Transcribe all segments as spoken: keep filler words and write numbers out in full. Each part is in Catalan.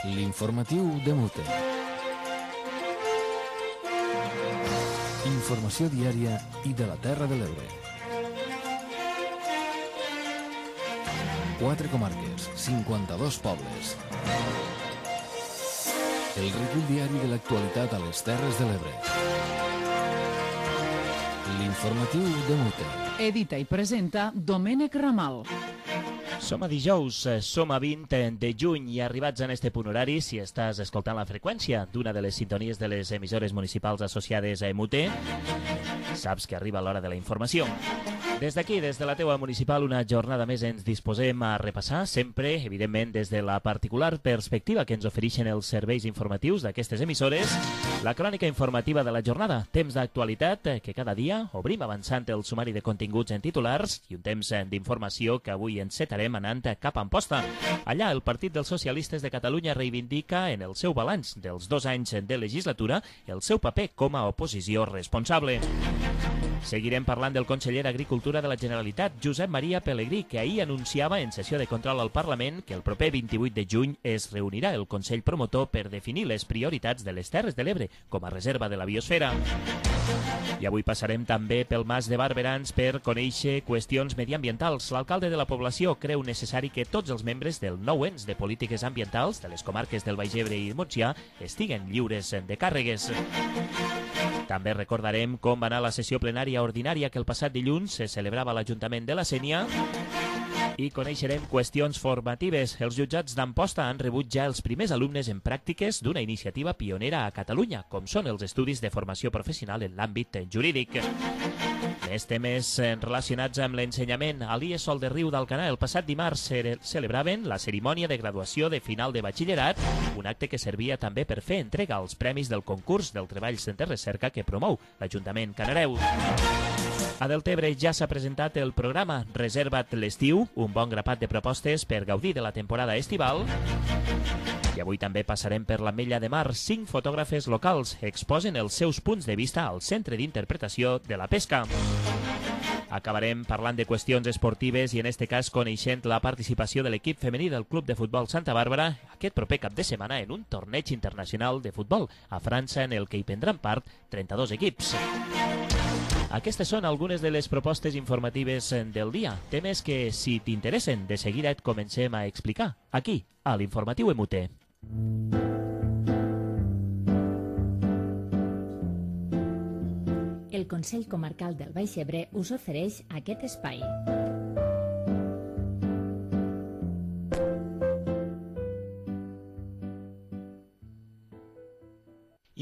L'informatiu de Mute. Informació diària i de la Terra de l'Ebre. Quatre comarques, cinquanta-dos pobles. El recull diari de l'actualitat a les Terres de l'Ebre. L'informatiu de Mute. Edita i presenta Domènec Ramal. Som a dijous, som a vint de juny i arribats en este punt horari, si estàs escoltant la freqüència d'una de les sintonies de les emissores municipals associades a Mute, saps que arriba l'hora de la informació. Des d'aquí, des de la teua municipal, una jornada més ens disposem a repassar, sempre, evidentment, des de la particular perspectiva que ens ofereixen els serveis informatius d'aquestes emissores, la crònica informativa de la jornada, temps d'actualitat que cada dia obrim avançant el sumari de continguts en titulars i un temps d'informació que avui encetarem anant cap a Amposta. Allà, el Partit dels Socialistes de Catalunya reivindica en el seu balanç dels dos anys de legislatura el seu paper com a oposició responsable. Seguirem parlant del conseller d'Agricultura de la Generalitat, Josep Maria Pelegrí, que ahir anunciava en sessió de control al Parlament que el proper vint-i-vuit de juny es reunirà el Consell Promotor per definir les prioritats de les Terres de l'Ebre com a reserva de la biosfera. I avui passarem també pel Mas de Barberans per conèixer qüestions mediambientals. L'alcalde de la població creu necessari que tots els membres del nou ens de polítiques ambientals de les comarques del Baix Ebre i Montsià estiguen lliures de càrregues. També recordarem com va anar la sessió plenària ordinària que el passat dilluns se celebrava a l'Ajuntament de la Sénia i coneixerem qüestions formatives. Els jutjats d'Amposta han rebut ja els primers alumnes en pràctiques d'una iniciativa pionera a Catalunya, com són els estudis de formació professional en l'àmbit jurídic. Més temes relacionats amb l'ensenyament. A l'I E S O L de Riu d'Alcanar el passat dimarts celebraven la cerimònia de graduació de final de batxillerat, un acte que servia també per fer entrega als premis del concurs del treballs de recerca que promou l'Ajuntament Canareu. A Deltebre ja s'ha presentat el programa Reserva't l'estiu, un bon grapat de propostes per gaudir de la temporada estival. I avui també passarem per l'Ametlla de Mar. Cinc fotògrafes locals exposen els seus punts de vista al Centre d'Interpretació de la Pesca. Acabarem parlant de qüestions esportives i en este cas coneixent la participació de l'equip femení del Club de Futbol Santa Bàrbara aquest proper cap de setmana en un torneig internacional de futbol a França en el que hi prendran part trenta-dos equips. Aquestes són algunes de les propostes informatives del dia, temes que, si t'interessen, de seguida et comencem a explicar, aquí, a l'Informatiu M U T. El Consell Comarcal del Baix Ebre us ofereix aquest espai.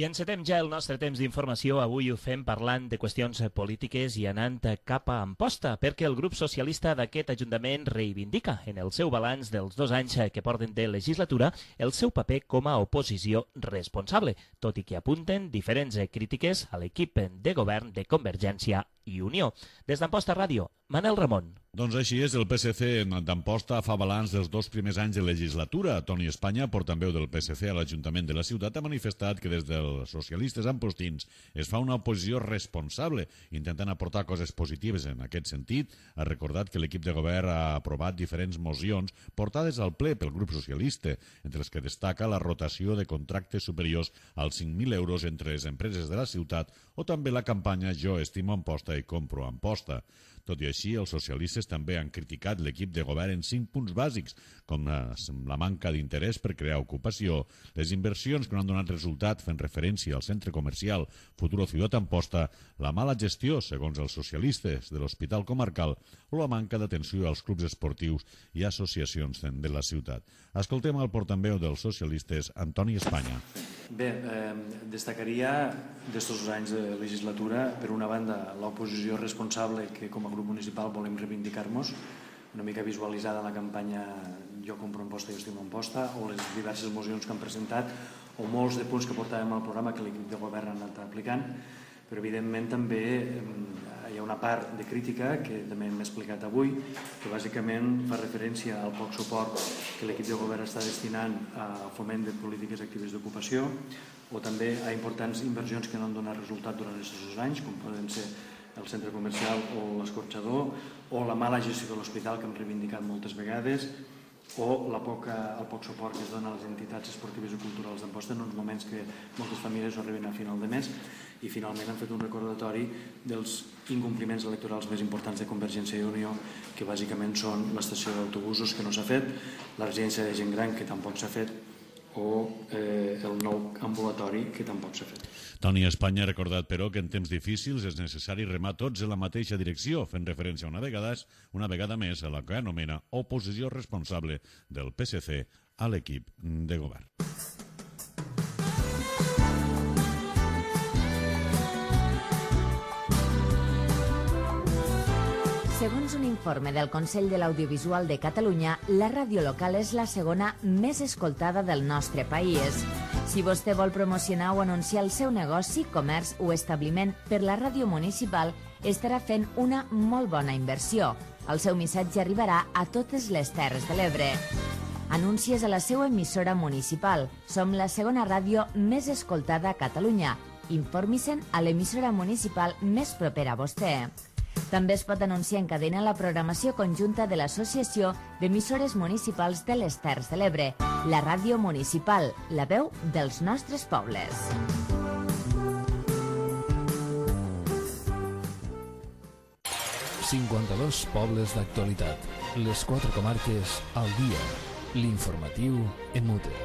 I encetem ja el nostre temps d'informació. Avui ho fem parlant de qüestions polítiques i anant cap a Amposta, perquè el grup socialista d'aquest Ajuntament reivindica en el seu balanç dels dos anys que porten de legislatura el seu paper com a oposició responsable, tot i que apunten diferents crítiques a l'equip de govern de Convergència i Unió. Des d'Amposta Ràdio, Manel Ramon. Doncs així és, el P S C d'Amposta fa balanç dels dos primers anys de legislatura. Toni Espanya, portaveu del P S C a l'Ajuntament de la ciutat, ha manifestat que des dels socialistes ampostins es fa una oposició responsable, intentant aportar coses positives en aquest sentit. Ha recordat que l'equip de govern ha aprovat diferents mocions portades al ple pel grup socialista, entre les que destaca la rotació de contractes superiors als cinc mil euros entre les empreses de la ciutat o també la campanya Jo estimo Amposta i compro Amposta. Tot i així, els socialistes també han criticat l'equip de govern en cinc punts bàsics, com la manca d'interès per crear ocupació, les inversions que no han donat resultat fent referència al centre comercial Futuro Ciutat Amposta, la mala gestió, segons els socialistes, de l'Hospital Comarcal o la manca d'atenció als clubs esportius i associacions de la ciutat. Escoltem el portaveu dels socialistes, Antoni Espanya. Bé, eh, destacaria d'estos anys de legislatura, per una banda, l'oposició responsable que com a grup municipal volem reivindicar-nos, una mica visualitzada la campanya Jo compro Amposta i Jo estimo Amposta, o les diverses mocions que han presentat, o molts de punts que portàvem al programa que l'equip de govern ha anat aplicant, però evidentment també hi ha una part de crítica que també hem explicat avui, que bàsicament fa referència al poc suport que l'equip de govern està destinant a foment de polítiques actives d'ocupació, o també a importants inversions que no han donat resultat durant aquests dos anys, com poden ser el centre comercial o l'escorxador, o la mala gestió de l'hospital que hem reivindicat moltes vegades, o la poca, el poc suport que es dona a les entitats esportives i culturals d'Amposta en uns moments que moltes famílies no arriben a final de mes, i finalment han fet un recordatori dels incompliments electorals més importants de Convergència i Unió, que bàsicament són l'estació d'autobusos que no s'ha fet, la residència de gent gran que tampoc s'ha fet, o eh, el nou ambulatori que tampoc s'ha fet. Toni Espanya ha recordat, però, que en temps difícils és necessari remar tots en la mateixa direcció, fent referència una vegada, una vegada més a la que anomena oposició responsable del P S C a l'equip de govern. Segons un informe del Consell de l'Audiovisual de Catalunya, la ràdio local és la segona més escoltada del nostre país. Si vostè vol promocionar o anunciar el seu negoci, comerç o establiment per la ràdio municipal, estarà fent una molt bona inversió. El seu missatge arribarà a totes les Terres de l'Ebre. Anuncies a la seva emissora municipal. Som la segona ràdio més escoltada a Catalunya. Informi-se'n a l'emissora municipal més propera a vostè. També es pot anunciar en cadena la programació conjunta de l'Associació d'Emissores Municipals de les Terres de l'Ebre, la ràdio municipal, la veu dels nostres pobles. cinquanta-dos pobles d'actualitat. Les quatre comarques al dia. L'informatiu en Mute.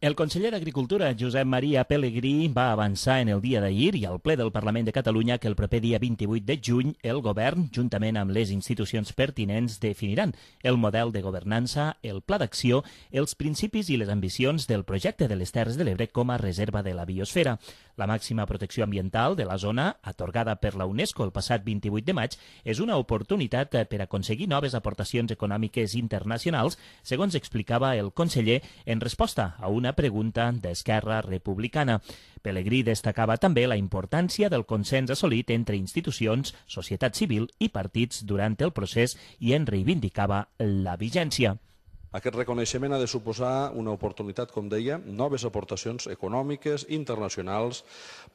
El conseller d'Agricultura, Josep Maria Pelegrí, va avançar en el dia d'ahir i al ple del Parlament de Catalunya que el proper dia vint-i-vuit de juny el govern, juntament amb les institucions pertinents, definiran el model de governança, el pla d'acció, els principis i les ambicions del projecte de les Terres de l'Ebre com a reserva de la biosfera. La màxima protecció ambiental de la zona, atorgada per la UNESCO el passat vint-i-vuit de maig, és una oportunitat per aconseguir noves aportacions econòmiques internacionals, segons explicava el conseller en resposta a una pregunta d'Esquerra Republicana. Pelegrí destacava també la importància del consens assolit entre institucions, societat civil i partits durant el procés i en reivindicava la vigència. Aquest reconeixement ha de suposar una oportunitat, com deia, noves aportacions econòmiques internacionals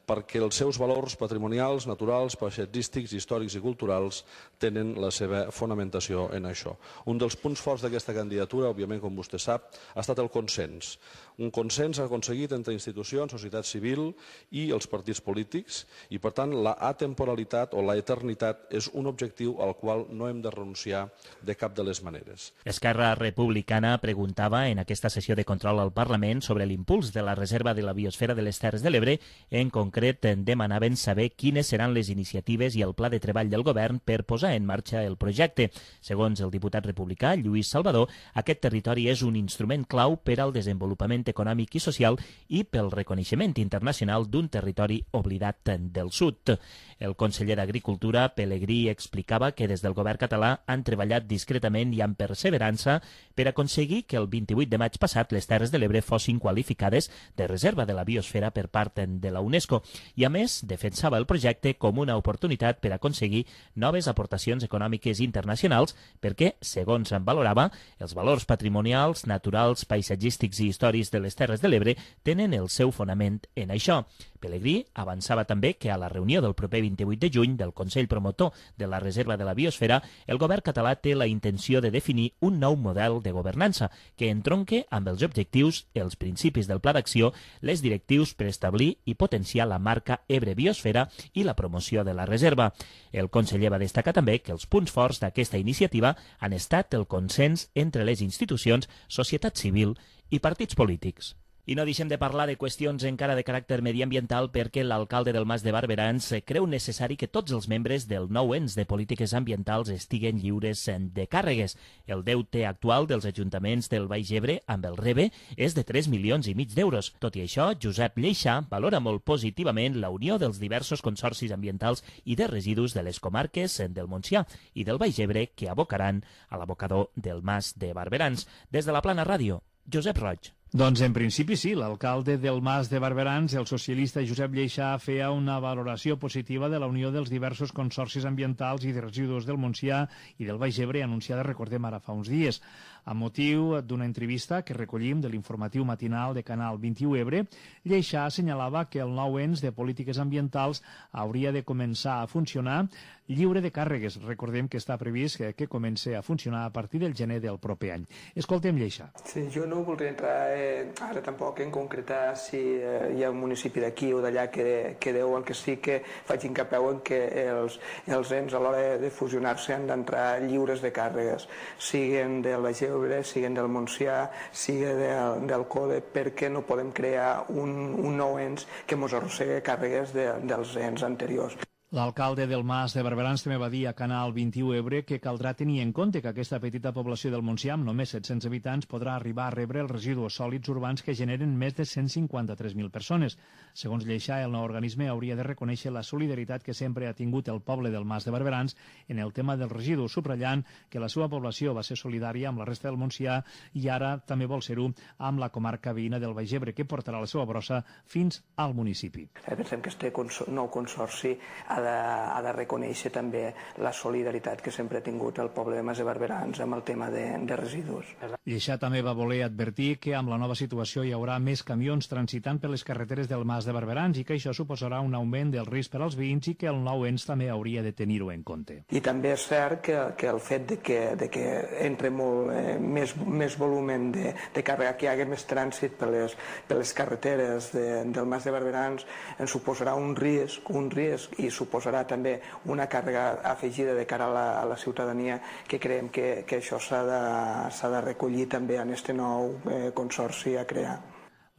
perquè els seus valors patrimonials, naturals, paisatgístics, històrics i culturals tenen la seva fonamentació en això. Un dels punts forts d'aquesta candidatura, òbviament, com vostè sap, ha estat el consens. Un consens aconseguit entre institucions, societat civil i els partits polítics i, per tant, la atemporalitat o la eternitat és un objectiu al qual no hem de renunciar de cap de les maneres. Esquerra Republicana preguntava en aquesta sessió de control al Parlament sobre l'impuls de la reserva de la biosfera de les Terres de l'Ebre. En concret, demanaven saber quines seran les iniciatives i el pla de treball del govern per posar en marxa el projecte. Segons el diputat republicà Lluís Salvador, aquest territori és un instrument clau per al desenvolupament econòmic i social i pel reconeixement internacional d'un territori oblidat del sud. El conseller d'Agricultura, Pelegrí, explicava que des del govern català han treballat discretament i amb perseverança per aconseguir que el vint-i-vuit de maig passat les Terres de l'Ebre fossin qualificades de reserva de la biosfera per part de la UNESCO i, a més, defensava el projecte com una oportunitat per aconseguir noves aportacions econòmiques internacionals perquè, segons en valorava, els valors patrimonials, naturals, paisatgístics i històrics de les Terres de l'Ebre tenen el seu fonament en això. Pelegrí avançava també que a la reunió del proper vint-i-vuit de juny del Consell Promotor de la Reserva de la Biosfera, el govern català té la intenció de definir un nou model de governança que entronque amb els objectius, els principis del pla d'acció, les directius per establir i potenciar la marca Ebre Biosfera i la promoció de la reserva. El conseller va destacar també que els punts forts d'aquesta iniciativa han estat el consens entre les institucions, societat civil i partits polítics. I no deixem de parlar de qüestions encara de caràcter mediambiental perquè l'alcalde del Mas de Barberans creu necessari que tots els membres del nou ens de polítiques ambientals estiguen lliures de càrregues. El deute actual dels ajuntaments del Baix Ebre amb el R E B E és de tres milions i mig d'euros. Tot i això, Josep Lleixà valora molt positivament la unió dels diversos consorcis ambientals i de residus de les comarques del Montsià i del Baix Ebre que abocaran a l'abocador del Mas de Barberans. Des de la Plana Ràdio, Josep Roig. Doncs en principi sí, l'alcalde del Mas de Barberans, el socialista Josep Lleixà, feia una valoració positiva de la unió dels diversos consorcis ambientals i de residus del Montsià i del Baix Ebre anunciada, recordem, ara fa uns dies. A motiu d'una entrevista que recollim de l'informatiu matinal de Canal vint-i-u Ebre, Lleixà assenyalava que el nou ens de polítiques ambientals hauria de començar a funcionar lliure de càrregues. Recordem que està previst que, que comenci a funcionar a partir del gener del proper any. Escoltem Lleixa. Sí, jo no voldria entrar eh, ara tampoc en concretar si eh, hi ha un municipi d'aquí o d'allà que, que deu. El que sí que faig incapeu en que els, els ens a l'hora de fusionar-se han d'entrar lliures de càrregues, siguen del Baix Ebre, siguen del Montsià, siguen del, del CODE, perquè no podem crear un, un nou ens que mos arrossega càrregues de, dels ens anteriors. L'alcalde del Mas de Barberans també va dir a Canal vint-i-u Ebre que caldrà tenir en compte que aquesta petita població del Montsià, amb només set-cents habitants, podrà arribar a rebre els residus sòlids urbans que generen més de cent cinquanta-tres mil persones. Segons Lleixa, el nou organisme hauria de reconèixer la solidaritat que sempre ha tingut el poble del Mas de Barberans en el tema dels residus, subratllant que la seva població va ser solidària amb la resta del Montsià i ara també vol ser-ho amb la comarca veïna del Baix Ebre, que portarà la seva brossa fins al municipi. Pensem que este nou consorci ha de, ha de reconèixer també la solidaritat que sempre ha tingut el poble de Mas de Barberans amb el tema de, de residus. Lleixa també va voler advertir que amb la nova situació hi haurà més camions transitant per les carreteres del Mas de Barberans i que això suposarà un augment del risc per als veïns i que el nou ens també hauria de tenir-ho en compte. I també és cert que, que el fet de que, de que entre molt eh, més, més volumen de, de càrrega, que hi hagi més trànsit per les, per les carreteres de, del Mas de Barberans, ens suposarà un risc, un risc i suposarà també una càrrega afegida de cara a la, a la ciutadania, que creiem que, que això s'ha de, s'ha de recollir també en este nou eh, consorci a crear.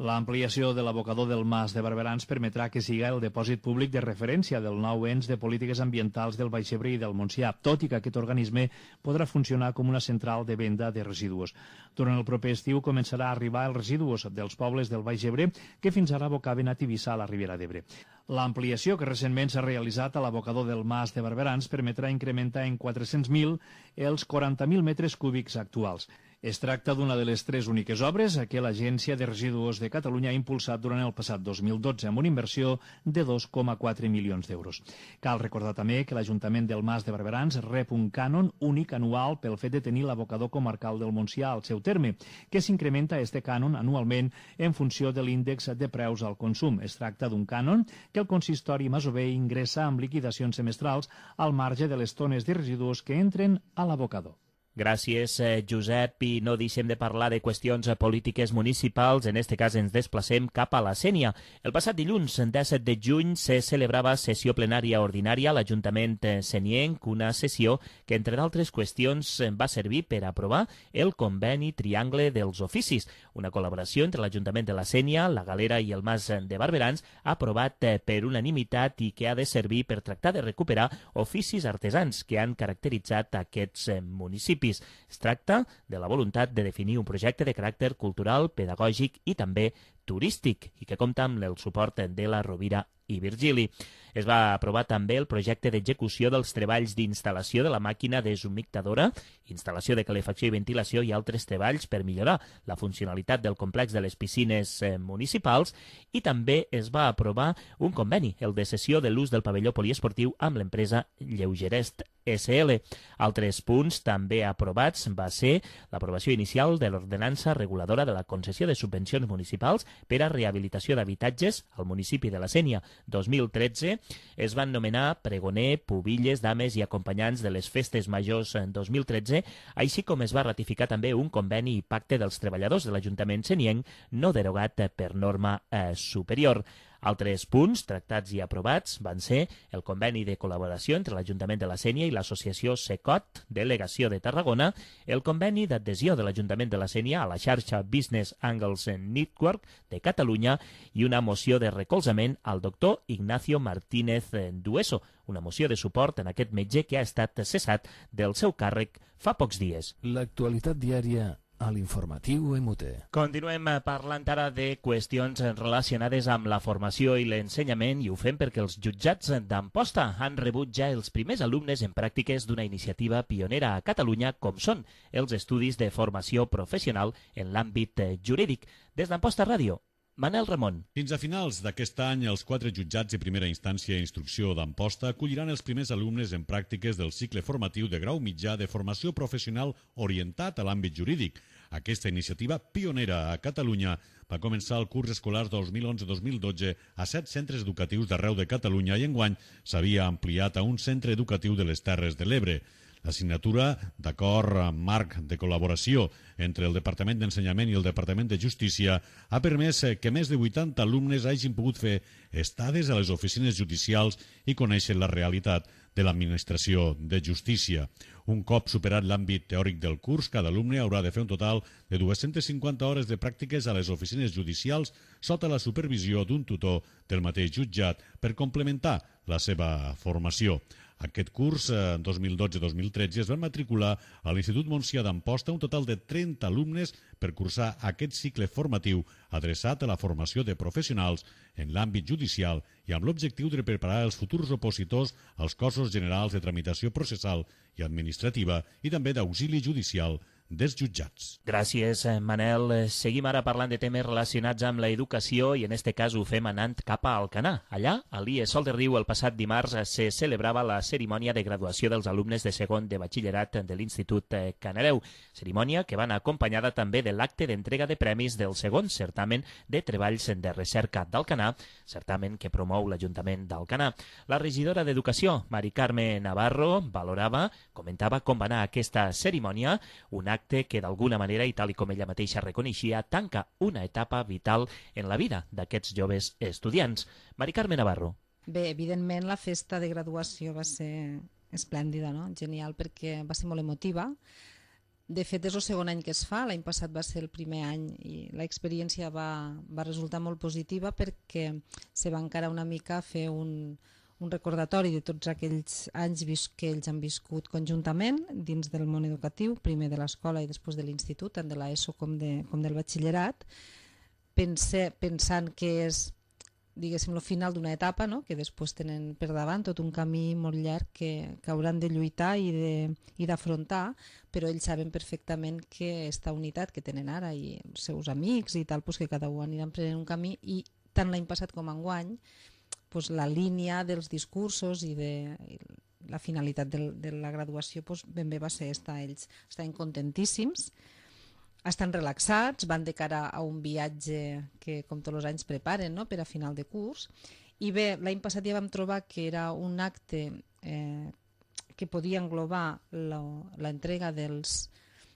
L'ampliació de l'abocador del Mas de Barberans permetrà que siga el depòsit públic de referència del nou ens de polítiques ambientals del Baix Ebre i del Montsià, tot i que aquest organisme podrà funcionar com una central de venda de residus. Durant el proper estiu començarà a arribar els residus dels pobles del Baix Ebre que fins ara abocaven a Tivissa, a la Ribera d'Ebre. L'ampliació que recentment s'ha realitzat a l'abocador del Mas de Barberans permetrà incrementar en quatre-cents mil els quaranta mil metres cúbics actuals. Es tracta d'una de les tres úniques obres que l'Agència de Residus de Catalunya ha impulsat durant el passat dos mil dotze amb una inversió de dos coma quatre milions d'euros. Cal recordar també que l'Ajuntament del Mas de Barberans rep un cànon únic anual pel fet de tenir l'abocador comarcal del Montsià al seu terme, que s'incrementa este cànon anualment en funció de l'índex de preus al consum. Es tracta d'un cànon que el consistori masover ingressa amb liquidacions semestrals al marge de les tones de residus que entren a l'abocador. Gràcies, Josep, i no deixem de parlar de qüestions polítiques municipals. En este cas ens desplacem cap a la Sénia. El passat dilluns, disset de juny, se celebrava sessió plenària ordinària a l'Ajuntament senienc, una sessió que, entre d'altres qüestions, va servir per aprovar el conveni Triangle dels Oficis, una col·laboració entre l'Ajuntament de la Sénia, la Galera i el Mas de Barberans, aprovat per unanimitat i que ha de servir per tractar de recuperar oficis artesans que han caracteritzat aquests municipis. Es tracta de la voluntat de definir un projecte de caràcter cultural, pedagògic i també turístic i que compta amb el suport de la Rovira i Virgili. Es va aprovar també el projecte d'execució dels treballs d'instal·lació de la màquina deshumectadora, instal·lació de calefacció i ventilació i altres treballs per millorar la funcionalitat del complex de les piscines municipals, i també es va aprovar un conveni, el de cessió de l'ús del pavelló poliesportiu amb l'empresa Lleugerest S L. Altres punts també aprovats va ser l'aprovació inicial de l'ordenança reguladora de la concessió de subvencions municipals per a rehabilitació d'habitatges al municipi de la Sénia dos mil tretze. Es van nomenar pregoner, pubilles, dames i acompanyants de les festes majors en dos mil tretze, així com es va ratificar també un conveni i pacte dels treballadors de l'Ajuntament senienc no derogat per norma eh, superior. Altres punts tractats i aprovats van ser el conveni de col·laboració entre l'Ajuntament de la Sénia i l'associació SECOT, delegació de Tarragona, el conveni d'adhesió de l'Ajuntament de la Sénia a la xarxa Business Angles Network de Catalunya i una moció de recolzament al doctor Ignacio Martínez Dueso, una moció de suport en aquest metge que ha estat cessat del seu càrrec fa pocs dies. L'actualitat diària a l'informatiu M T. Continuem parlant ara de qüestions relacionades amb la formació i l'ensenyament i ho fem perquè els jutjats d'Amposta han rebut ja els primers alumnes en pràctiques d'una iniciativa pionera a Catalunya com són els estudis de formació professional en l'àmbit jurídic. Des d'Amposta Ràdio, Manel Ramon. Fins a finals d'aquest any, els quatre jutjats de primera instància i instrucció d'Amposta acolliran els primers alumnes en pràctiques del cicle formatiu de grau mitjà de formació professional orientat a l'àmbit jurídic. Aquesta iniciativa pionera a Catalunya va començar el curs escolar dos mil onze dos mil dotze a set centres educatius d'arreu de Catalunya i enguany s'havia ampliat a un centre educatiu de les Terres de l'Ebre. La signatura d'acord marc de col·laboració entre el Departament d'Ensenyament i el Departament de Justícia ha permès que més de vuitanta alumnes hagin pogut fer estades a les oficines judicials i conèixer la realitat de l'administració de justícia. Un cop superat l'àmbit teòric del curs, cada alumne haurà de fer un total de dues-centes cinquanta hores de pràctiques a les oficines judicials sota la supervisió d'un tutor del mateix jutjat per complementar la seva formació. Aquest curs, dos mil dotze dos mil tretze, es van matricular a l'Institut Montsià d'Amposta un total de trenta alumnes per cursar aquest cicle formatiu adreçat a la formació de professionals en l'àmbit judicial i amb l'objectiu de preparar els futurs opositors als cossos generals de tramitació processal i administrativa i també d'auxili judicial dels jutjats. Gràcies, Manel. Seguim ara parlant de temes relacionats amb l'educació i en este cas ho fem anant cap a Alcanar. Allà, a l'I E Sol de Riu, el passat dimarts se celebrava la cerimònia de graduació dels alumnes de segon de batxillerat de l'Institut Canareu, cerimònia que va anar acompanyada també de l'acte d'entrega de premis del segon certamen de treballs de recerca d'Alcanar, certamen que promou l'Ajuntament d'Alcanar. La regidora d'Educació, Mari Carme Navarro, valorava, comentava com va anar aquesta cerimònia, un acte que d'alguna manera, i tal i com ella mateixa reconeixia, tanca una etapa vital en la vida d'aquests joves estudiants. Mari Carme Navarro. Bé, evidentment la festa de graduació va ser esplèndida, no? Genial, perquè va ser molt emotiva. De fet, és el segon any que es fa, l'any passat va ser el primer any i l'experiència va, va resultar molt positiva perquè se va encarar una mica a fer un... un recordatori de tots aquells anys que ells han viscut conjuntament dins del món educatiu, primer de l'escola i després de l'institut, tant de l'ESO com, de, com del batxillerat, Pense, pensant que és, diguéssim, el final d'una etapa, no? Que després tenen per davant tot un camí molt llarg que, que hauran de lluitar i d'afrontar, però ells saben perfectament que aquesta unitat que tenen ara i els seus amics i tal, doncs que cada un aniran prenent un camí i tant l'any passat com enguany pues la línia dels discursos i de i la finalitat de, de la graduació pues ben bé va ser esta. Ells estaven contentíssims, estan relaxats, van de cara a un viatge que com tots els anys preparen, no? Per a final de curs. I bé, l'any passat ja vam trobar que era un acte eh, que podia englobar l'entrega dels,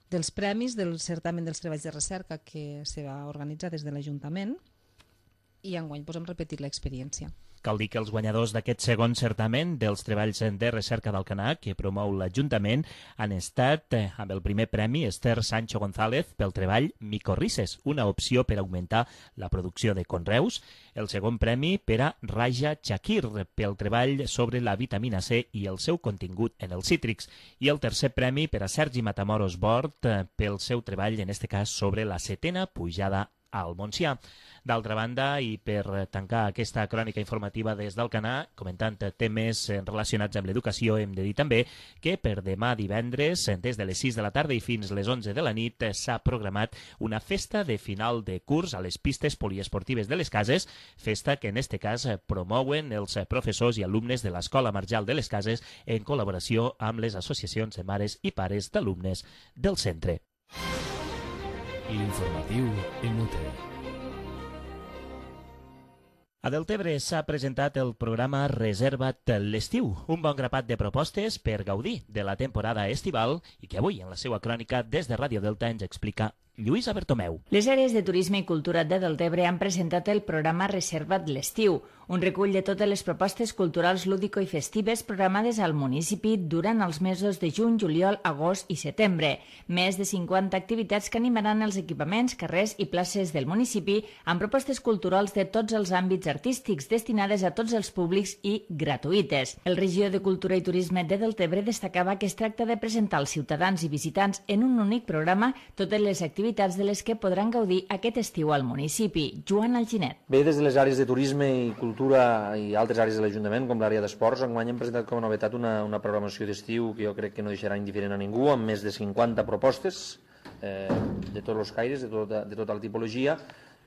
dels premis del certamen dels treballs de recerca que se va organitzar des de l'Ajuntament i enguany pues, hem repetit l'experiència. Cal dir que els guanyadors d'aquest segon certamen dels treballs de recerca d'Alcanar, que promou l'Ajuntament, han estat, eh, amb el primer premi, Esther Sancho González pel treball Micorrices, una opció per augmentar la producció de conreus. El segon premi per a Raja Chakir pel treball sobre la vitamina C i el seu contingut en els cítrics. I el tercer premi per a Sergi Matamoros Bort eh, pel seu treball, en este cas, sobre la setena pujada al Montsià. D'altra banda, i per tancar aquesta crònica informativa des d'Alcanar, comentant temes relacionats amb l'educació, hem de dir també que per demà divendres, des de les sis de la tarda i fins les onze de la nit, s'ha programat una festa de final de curs a les pistes poliesportives de les Cases, festa que en este cas promouen els professors i alumnes de l'Escola Marjal de les Cases en col·laboració amb les associacions de mares i pares d'alumnes del centre. L'informatiu en Mute. A Deltebre s'ha presentat el programa Reserva't l'estiu, un bon grapat de propostes per gaudir de la temporada estival i que avui en la seva crònica des de Ràdio Delta ens explica Lluïsa Bertomeu. Les àrees de turisme i cultura de Deltebre han presentat el programa Reserva't l'estiu, un recull de totes les propostes culturals lúdico i festives programades al municipi durant els mesos de juny, juliol, agost i setembre. Més de cinquanta activitats que animaran els equipaments, carrers i places del municipi amb propostes culturals de tots els àmbits artístics destinades a tots els públics i gratuïtes. El regidor de Cultura i Turisme de Deltebre destacava que es tracta de presentar als ciutadans i visitants en un únic programa totes les activitats de les que podran gaudir aquest estiu al municipi. Joan Alginet. Bé, des de les àrees de turisme i cultura i altres àrees de l'Ajuntament, com l'àrea d'esports, enguany hem presentat com a novetat una, una programació d'estiu que jo crec que no deixarà indiferent a ningú, amb més de cinquanta propostes eh, de tots els caires, de tota, de tota la tipologia,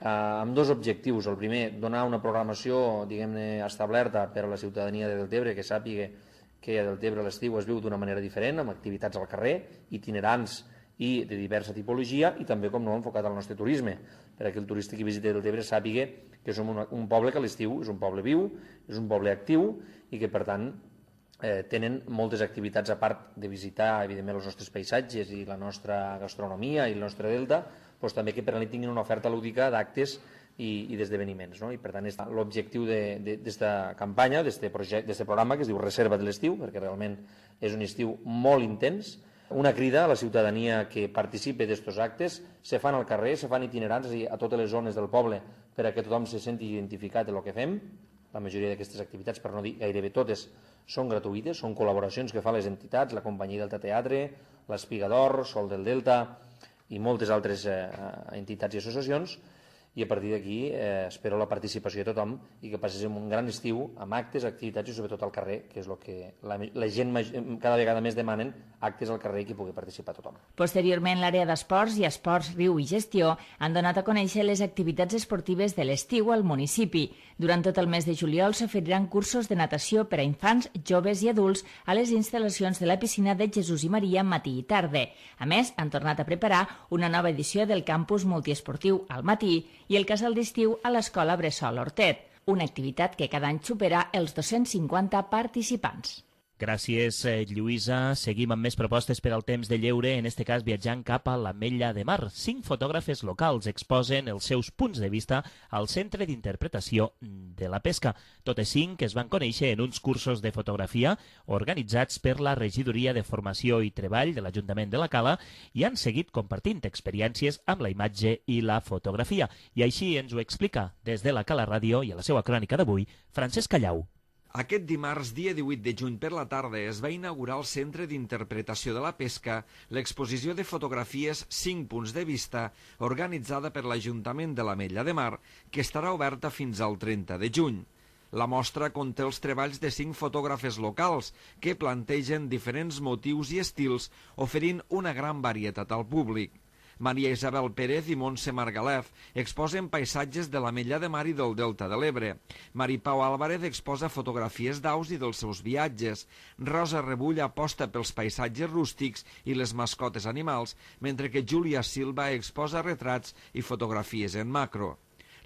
eh, amb dos objectius. El primer, donar una programació, diguem-ne, establerta per a la ciutadania de Deltebre, que sàpiga que a Deltebre l'estiu es viu d'una manera diferent, amb activitats al carrer, itinerants i de diversa tipologia, i també, com no, enfocat al nostre turisme, perquè el turista que visiti Deltebre sàpiga que som una, un poble que a l'estiu és un poble viu, és un poble actiu, i que, per tant, eh, tenen moltes activitats, a part de visitar, evidentment, els nostres paisatges i la nostra gastronomia i el nostre delta, doncs també que per a tinguin una oferta lúdica d'actes i, i d'esdeveniments. No? I, per tant, l'objectiu d'aquesta campanya, d'aquest programa, que es diu Reserva de l'estiu, perquè realment és un estiu molt intens, una crida a la ciutadania que participi d'aquests actes, se fan al carrer, se fan itinerants a totes les zones del poble per a que tothom se senti identificat en el que fem. La majoria d'aquestes activitats, per no dir gairebé totes, són gratuïtes, són col·laboracions que fan les entitats, la Companyia Delta Teatre, l'Espigador, Sol del Delta i moltes altres eh, entitats i associacions, i a partir d'aquí eh, espero la participació de tothom i que passés un gran estiu amb actes, activitats i sobretot al carrer, que és el que la, la gent cada vegada més demanen, actes al carrer i que pugui participar tothom. Posteriorment, l'àrea d'esports i esports riu i gestió han donat a conèixer les activitats esportives de l'estiu al municipi. Durant tot el mes de juliol s'oferiran cursos de natació per a infants, joves i adults a les instal·lacions de la piscina de Jesús i Maria matí i tarda. A més, han tornat a preparar una nova edició del campus multiesportiu al matí i el casal d'estiu a l'Escola Bressol Hortet, una activitat que cada any supera els dos-cents cinquanta participants. Gràcies, Lluïsa. Seguim amb més propostes per al temps de lleure, en este cas viatjant cap a l'Ametlla de Mar. Cinc fotògrafes locals exposen els seus punts de vista al Centre d'Interpretació de la Pesca. Totes cinc es van conèixer en uns cursos de fotografia organitzats per la Regidoria de Formació i Treball de l'Ajuntament de la Cala i han seguit compartint experiències amb la imatge i la fotografia. I així ens ho explica des de la Cala Ràdio i a la seva crònica d'avui, Francesc Callau. Aquest dimarts, dia divuit de juny per la tarda, es va inaugurar al Centre d'Interpretació de la Pesca l'exposició de fotografies cinc punts de vista organitzada per l'Ajuntament de l'Ametlla de Mar, que estarà oberta fins al trenta de juny. La mostra conté els treballs de cinc fotògrafes locals que plantegen diferents motius i estils, oferint una gran varietat al públic. Maria Isabel Pérez i Montse Margalef exposen paisatges de l'Ametlla de Mar i del Delta de l'Ebre. Mari Pau Álvarez exposa fotografies d'aus i dels seus viatges. Rosa Rebull aposta pels paisatges rústics i les mascotes animals, mentre que Júlia Silva exposa retrats i fotografies en macro.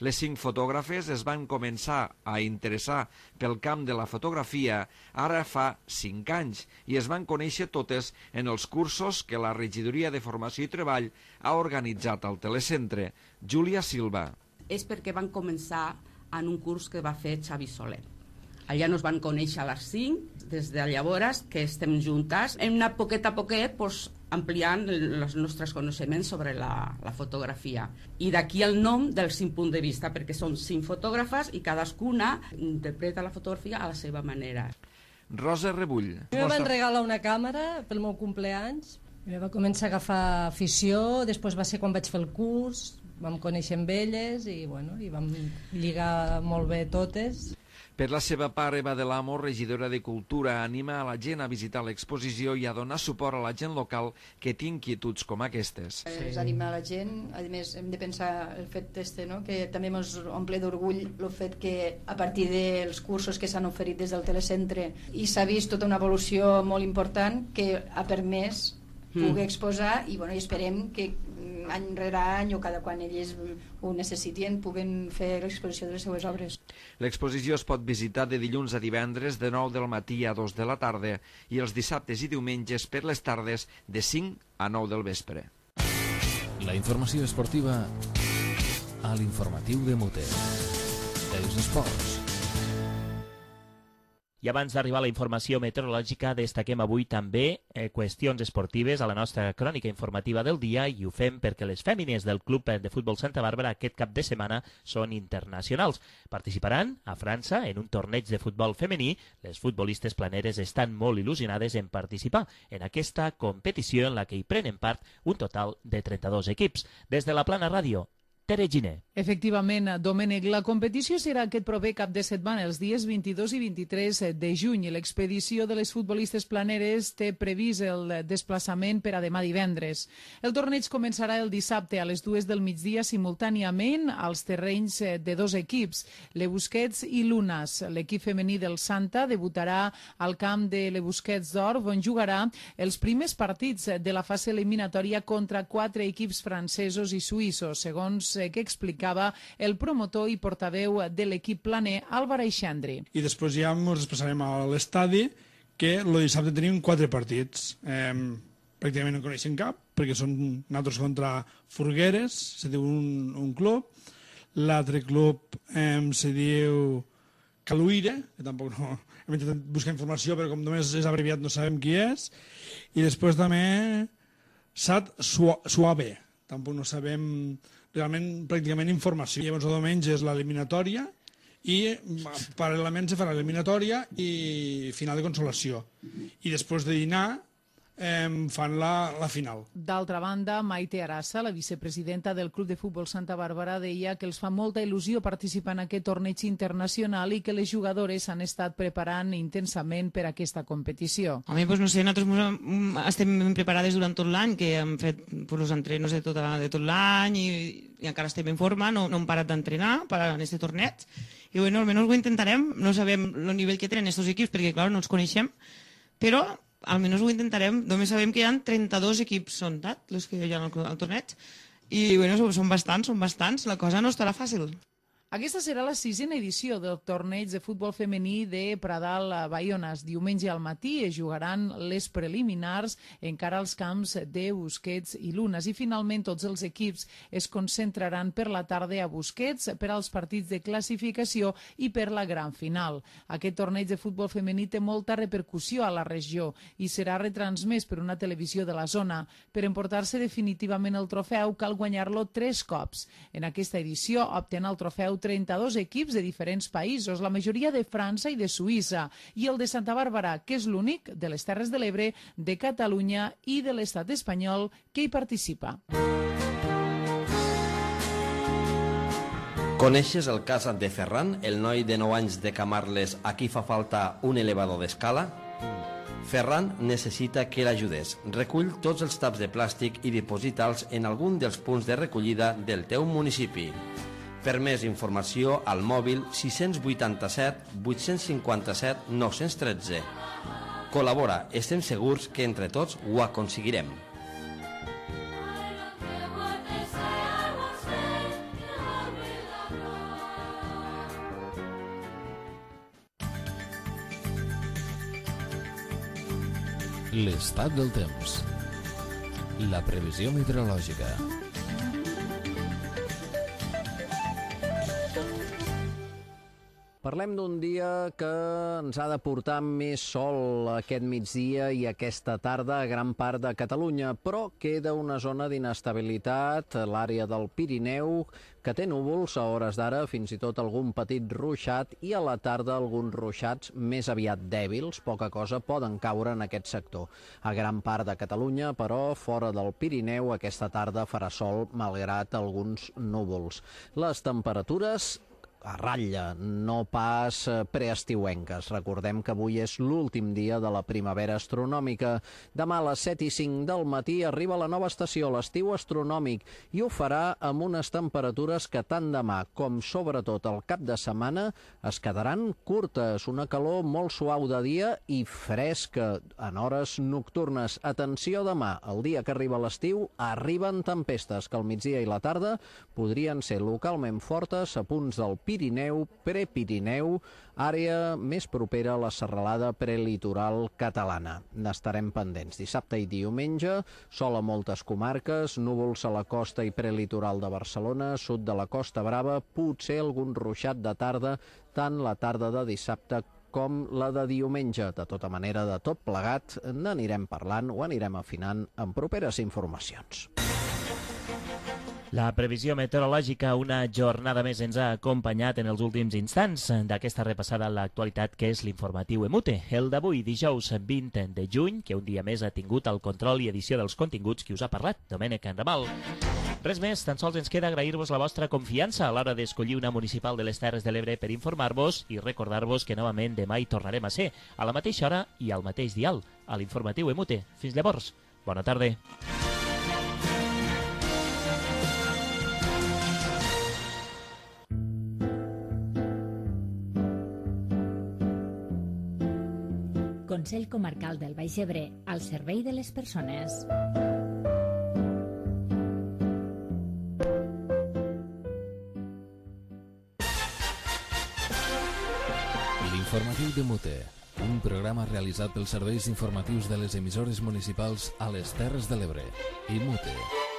Les cinc fotògrafes es van començar a interessar pel camp de la fotografia ara fa cinc anys i es van conèixer totes en els cursos que la Regidoria de Formació i Treball ha organitzat al telecentre. Júlia Silva. És perquè van començar en un curs que va fer Xavi Soler. Allà nos van conèixer a les cinc, des de llavors que estem juntes. Hem anat poquet a poquet pues, ampliant els nostres coneixements sobre la, la fotografia. I d'aquí el nom dels cinc punts de vista, perquè són cinc fotògrafes i cadascuna interpreta la fotografia a la seva manera. Rosa Rebull. A mi em van regalar una càmera pel meu compleanys. I va començar a agafar afició, després va ser quan vaig fer el curs, vam conèixer amb elles i, bueno, i vam lligar molt bé totes. Per la seva part, Eva de l'Amo, regidora de Cultura, anima a la gent a visitar l'exposició i a donar suport a la gent local que té inquietuds com aquestes. Sí. És animar la gent, a més hem de pensar el fet este, no? Que també ens omple d'orgull el fet que a partir dels cursos que s'han oferit des del telecentre i s'ha vist tota una evolució molt important que ha permès poder exposar i, bueno, i esperem que any rere any o cada quan ells ho necessitin puguen fer l'exposició de les seues obres. L'exposició es pot visitar de dilluns a divendres de nou del matí a dos de la tarda i els dissabtes i diumenges per les tardes de cinc a nou del vespre. La informació esportiva a l'informatiu de Mute. Els esports. I abans d'arribar a la informació meteorològica, destaquem avui també eh, qüestions esportives a la nostra crònica informativa del dia i ho fem perquè les fèmines del Club de Futbol Santa Bàrbara aquest cap de setmana són internacionals. Participaran a França en un torneig de futbol femení. Les futbolistes planeres estan molt il·lusionades en participar en aquesta competició en la que hi prenen part un total de trenta-dos equips. Des de la Plana Ràdio, Tere Giner. Efectivament, Domènec, la competició serà aquest proper cap de setmana, els dies vint-i-dos i vint-i-tres de juny. L'expedició de les futbolistes planeres té previst el desplaçament per a demà divendres. El torneig començarà el dissabte a les dues del migdia simultàniament als terrenys de dos equips, Le Busquets i l'Unas. L'equip femení del Santa debutarà al camp de Le Busquets d'Or, on jugarà els primers partits de la fase eliminatòria contra quatre equips francesos i suïssos, segons que explicava el promotor i portaveu de l'equip planer, Álvar Aixandri. I després ja ens desplaçarem a l'estadi, que el dissabte tenim quatre partits. Eh, pràcticament no coneixem cap, perquè són nosaltres contra Furgueres, se diu un, un club. L'altre club eh, se diu Caluire, que tampoc no... Hem intentat buscar informació, però com només és abreviat no sabem qui és. I després també Sat Suave, tampoc no sabem realment pràcticament informació. Llavors el diumenge és l'eliminatòria i paral·lelament se farà l'eliminatòria i final de consolació. I després de dinar eh, fan la, la final. D'altra banda, Maite Arassa, la vicepresidenta del Club de Futbol Santa Bàrbara, deia que els fa molta il·lusió participar en aquest torneig internacional i que les jugadores han estat preparant intensament per a aquesta competició. Home, doncs no sé, nosaltres estem preparades durant tot l'any, que hem fet pues, els entrenos de tot, de tot l'any i, i encara estem en forma, no, no hem parat d'entrenar per a aquest torneig. I bueno, almenys ho intentarem, no sabem el nivell que tenen aquests equips, perquè clar, no els coneixem, però almenys ho intentarem. Només sabem que hi ha trenta-dos equips, són tant, els que hi ha al, al torneig, i bueno, són bastants, són bastants, la cosa no estarà fàcil. Aquesta serà la sisena edició del torneig de futbol femení de Pradal a Baiones. Diumenge al matí es jugaran les preliminars encara als camps de Busquets i l'Unas. I finalment tots els equips es concentraran per la tarda a Busquets per als partits de classificació i per la gran final. Aquest torneig de futbol femení té molta repercussió a la regió i serà retransmès per una televisió de la zona. Per emportar-se definitivament el trofeu cal guanyar-lo tres cops. En aquesta edició opten el trofeu trenta-dos equips de diferents països, la majoria de França i de Suïssa, i el de Santa Bàrbara, que és l'únic de les Terres de l'Ebre, de Catalunya i de l'estat espanyol que hi participa. Coneixes el cas de Ferran, el noi de nou anys de Camarles a qui fa falta un elevador d'escala? Ferran necessita que l'ajudes. Recull tots els taps de plàstic i diposita'ls en algun dels punts de recollida del teu municipi. Per més informació al mòbil sis vuitanta-set vuit cinquanta-set nou un tres. Col·labora, estem segurs que entre tots ho aconseguirem. L'estat del temps. La previsió meteorològica. Parlem d'un dia que ens ha de portar més sol aquest migdia i aquesta tarda a gran part de Catalunya, però queda una zona d'inestabilitat, l'àrea del Pirineu, que té núvols a hores d'ara, fins i tot algun petit ruixat, i a la tarda alguns ruixats més aviat dèbils, poca cosa poden caure en aquest sector. A gran part de Catalunya, però, fora del Pirineu, aquesta tarda farà sol malgrat alguns núvols. Les temperatures a ratlla, no pas preestiuenques. Recordem que avui és l'últim dia de la primavera astronòmica. Demà a les set i cinc del matí arriba la nova estació, l'estiu astronòmic, i ho farà amb unes temperatures que tant demà com sobretot el cap de setmana es quedaran curtes. Una calor molt suau de dia i fresca en hores nocturnes. Atenció demà, el dia que arriba l'estiu, arriben tempestes que al migdia i la tarda podrien ser localment fortes a punts del Pirineu, Prepirineu, àrea més propera a la serralada prelitoral catalana. N'estarem pendents. Dissabte i diumenge, sol a moltes comarques, núvols a la costa i prelitoral de Barcelona, sud de la Costa Brava, potser algun ruixat de tarda, tant la tarda de dissabte com la de diumenge. De tota manera, de tot plegat, n'anirem parlant o anirem afinant en properes informacions. La previsió meteorològica una jornada més ens ha acompanyat en els últims instants d'aquesta repassada a l'actualitat que és l'informatiu EMUTE. El d'avui, dijous vint de juny, que un dia més ha tingut el control i edició dels continguts qui us ha parlat, Domènec Ramal. Res més, tan sols ens queda agrair-vos la vostra confiança a l'hora d'escollir una municipal de les Terres de l'Ebre per informar-vos i recordar-vos que novament demà hi tornarem a ser, a la mateixa hora i al mateix dial, a l'informatiu E M U T E. Fins llavors, bona tarda. Consell Comarcal del Baix Ebre, al servei de les persones. L'informatiu d'E M U T E, un programa realitzat pels serveis informatius de les emissores municipals a les Terres de l'Ebre. E M U T E.